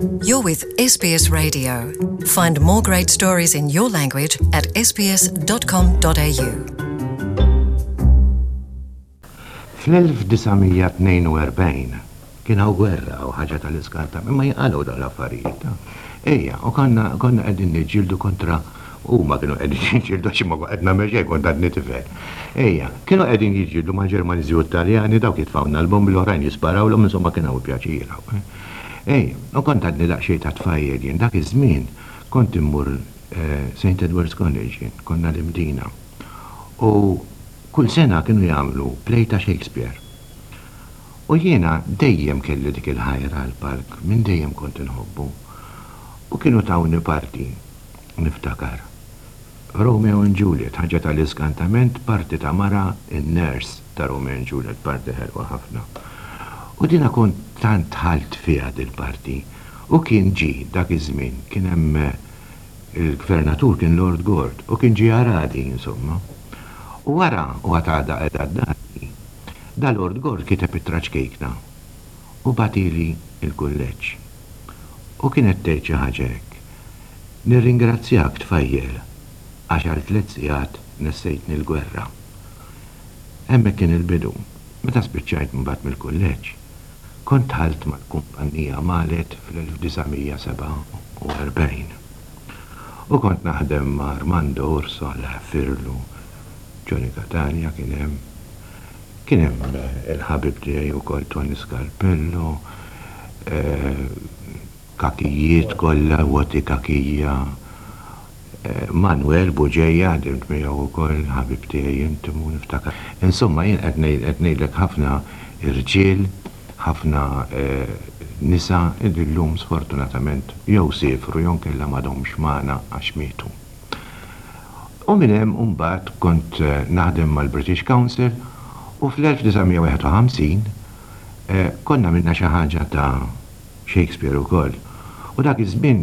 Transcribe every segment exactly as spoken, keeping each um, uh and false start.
You're with S B S Radio. Find more great stories in your language at S B S dot com dot A U. Fl-elf disa' mija tnejn u erbgħin kien hawn gwerra u ħaġa tal-iskarta, imma jinqalgħu dawn l-affarijiet. Ejja, u konna konna qegħdin niġġieldu kontra, huma kienu qegħdin jiġġieldu, għax ma qed nagħmel xejn, kont għadni tifel. Ejja, kienu qegħdin jiġġieldu mal-Ġermaniżi u Taljani, dawk jitfgħulna l-bombi, l-oħrajn jisparawlhom, insomma kien hawn pjaċir. Ejja, u kont għadni daqsxejn ta' tfajjel jien, dak iż-żmien kont immur Saint Edward's College jien, konna l-Imdina. U kull sena kienu jagħmlu play ta' Shakespeare. U jiena dejjem kelli dik il-ħajra għal-palk, minn dejjem kont inħobbu. U kienu tawni parti, niftakar. Romeo and Juliet, ħaġa tal-iskantament, parti ta' mara, in-nurse ta' Romeo and Juliet, parti ħelwa ħafna. U dina kont tant dħalt fiha dil-parti. U kien ġi dak iż-żmien, kien hemm il-gvernatur, kien Lord Gort, u kien ġi jarani, insomma. U wara, u għatada edha d-dati, da Lord Gort kiteb ittra ċkejkna u bagħathieli il-kulleġġ. U kienet tgħid xi ħaġa hekk: "Nirringrazzjak, tfajjel, għax għal tliet sigħat nessejtni l-gwerra." Hemmhekk kien il-bidu. Meta spiċċajt mbagħad mill-kulleġġ, kont dħalt mal-kumpanija Malet fl-elf disa' mija sebgħa u erbgħin. U kont naħdem ma' Armando Urso, Alla jaħfirlu, Johnny Catania kien hemm. Kien hemm il-ħabib tiegħi wkoll Tony Scarpello, kakijiet kollha, Woti Kakija, Manuel Buġeja, ħdimt miegħu wkoll, ħabib tiegħi intimu, niftakar. Insomma, jien qed ngħidlek ħafna irġiel, ħafna nisa illum sfortunatament jew siefru jew kella m'għadhomx magħna għax mietu. U minn hemm mbagħad kont naħdem mal-British Council u fl-elf disa' mija wieħed u ħamsin konna għamilna xi ħaġa ta' Shakespeare ukoll. U dak iż-żmien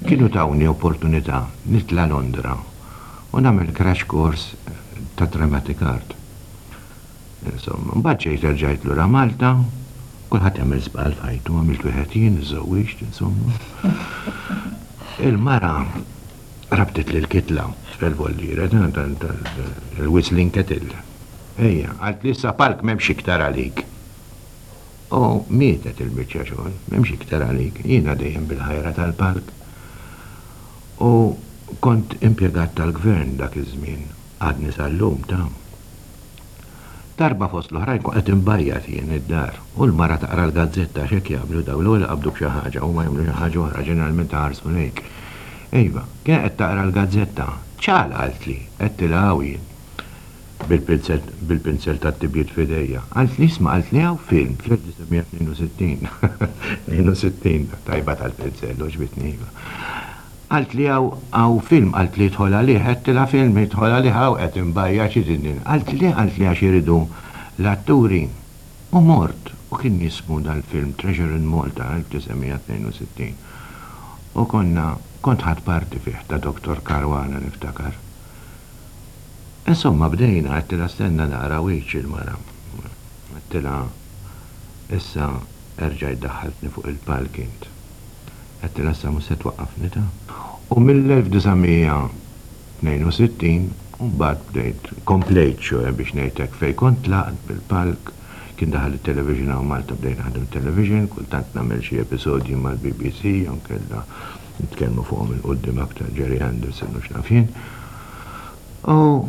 kienu tawni opportunità nitla' Londra u nagħmel crash course ta' dramatic art. Insomma, mbagħad ġejt erġajt lura Malta, kulħadd jagħmel żball f'ħajtu, għamilt wieħed jien, iżżewwiġt, insomma. Il-mara rabtet li l-kitla fil-voldiera, il-whistling kettle. Ejja, qaltli, "Issa palk m'hemmx iktar għalik." U mietet il-biċċa xogħol, m'hemmx iktar għalik. Jiena dejjem bil-ħajra tal-palk. U kont impjegat tal-gvern dak iż-żmien, għadni sal-lum ta'. Darba fost l-oħrajn kont qed inbajjat jien id-dar u l-mara taqra l-gazzetta, x'hekk jagħmlu daw, l-ewwel qabdu b'xi ħaġa u ma jagħmlu xi ħaġa oħra, ġeneralment ħarsu lejk. Ejva, kien qed taqra l-gazzetta. "ċal," qaltli, għedtilha, "hawn jien." Bil-pinzel tat-tibjid f'idejja. Qaltli, "Isma'," qaltli, "hawn film fl-elf disa' mija tnejn u sittin." tnejn u sittin, tajba tal-pinzel, għoġbitni, iva. Qaltli, "Hawn film," qaltli, "idħol għalih." Għedtilha, "Film idħol għalih, hawn qed inbajjat, xi din?" Qaltli, qaltli "għax iridu l-atturi." U mort, u kien jismu dal-film Treasure in Malta, elf disa' mija tnejn u sittin. U konna, kont ħadt parti fih ta' Doktor Caruana, niftakar. Insomma, bdejna, għedtilha, "Stenna nara wiċċ il-mara." Għedtilha, "Issa erġajt daħħaltni fuq il-palk int." Għedtilha, "Issa mhux se twaqqafni ta'." U mill-elf disa' mija tnejn u sittin mbagħad bdejt, komplejt xo biex ngħidlek fej kont tlaqt bil-palk, kien daħal il-television hawn Malta, bdejt naħdem television, kultant nagħmel xi episodji mal-B B C, jew kella nitkellmu fuqhom 'il quddiem aktar, Gerry Anderson u x'naf jien. U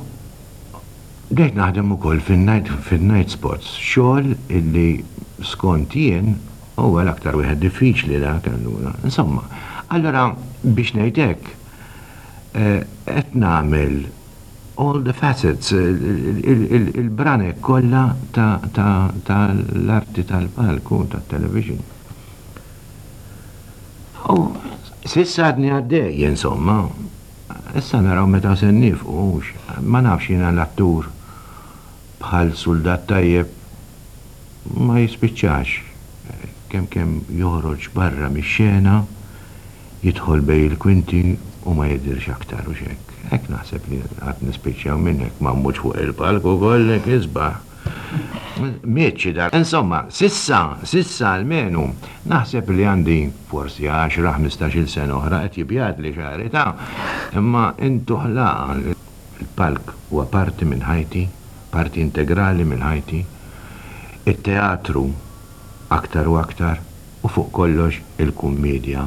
bdejt naħdem ukoll fin-night fin-night spots, xogħol illi skont jien huwa l-aktar wieħed diffiċli dak allura. Insomma, allora biex ngħid hekk, qed nagħmel all the facets, il-branek kollha tal-arti tal-palku, tat-television. U s'issa għadni għaddej, insomma, issa naraw meta se nieqfu, ma nafx, jiena l-attur bħal soldat tajjeb ma jispiċċax, kemm kemm joħroġ barra mix-xena, jidħol bejn il-kwinti u ma jidirx aktar u xek. Hekk naħseb li għad nispiċċaw minnek ma mmutx fuq il-palk u kollek isbaħ. Miet dar. Insomma, s'issa, s'issa almenu, naħseb li għandi forsi għaxra, ħmistax-il sena oħra qed jibjadli xagħri ta'. Imma intu ħlaqa il-palk huwa parti minn ħajti, parti integrali minn ħajti. Il-teatru aktar u aktar u fuq kollox il-kummedja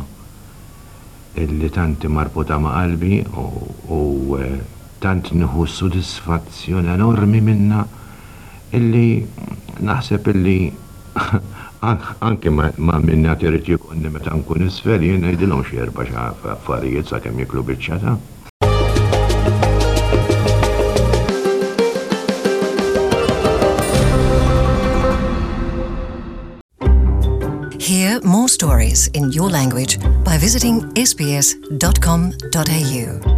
illi tant marbuta ma' qalbi u, u eh, tant nieħu sodisfazzjoni enormi minna illi naħseb illi anke ma, ma minna trid jikonni meta nkun isfel jien ngħidilhom xi erba' xi affarijiet sakemm jiklu biċċa ta'. Hear more stories in your language by visiting S B S dot com dot A U.